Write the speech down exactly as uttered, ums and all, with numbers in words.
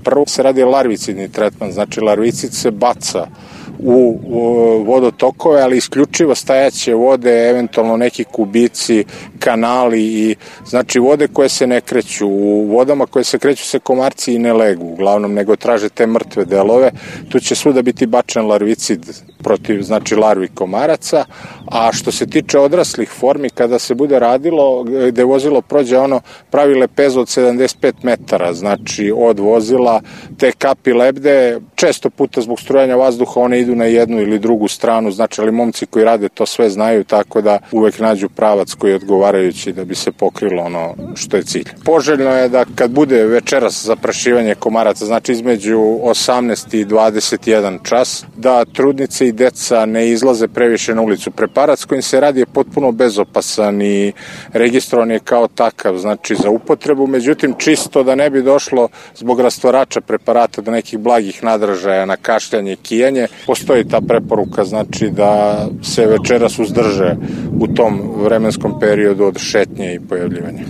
Prvo se radi larvicidni tretman, znači larvicid se baca u vodotokove, ali isključivo stajaće vode, eventualno neki kubici, kanali i znači vode koje se ne kreću. U vodama koje se kreću se komarci i ne legu, uglavnom, nego traže te mrtve delove. Tu će svuda biti bačen larvicid protiv, znači, larvi komaraca, a što se tiče odraslih formi, kada se bude radilo, gde vozilo prođe ono, pravi lepezu od sedamdeset pet metara, znači od vozila, te kapi lebde, često puta zbog strujanja vazduha one idu na jednu ili drugu stranu, znači, ali momci koji rade to sve znaju, tako da uvek nađu pravac koji je odgovarajući da bi se pokrilo ono što je cilj. Poželjno je da kad bude večeras zaprašivanje komaraca, znači između osamnaest i dvadeset jedan čas, da trudnice i deca ne izlaze previše na ulicu. Preparat s kojim se radi je potpuno bezopasan i registrovan je kao takav, znači za upotrebu, međutim čisto da ne bi došlo zbog rastvarača preparata do nekih blagih nadražaja na kašljanje i kijanje, postoji ta preporuka, znači da se večeras uzdrže u tom vremenskom periodu od šetnje i pojavljivanja.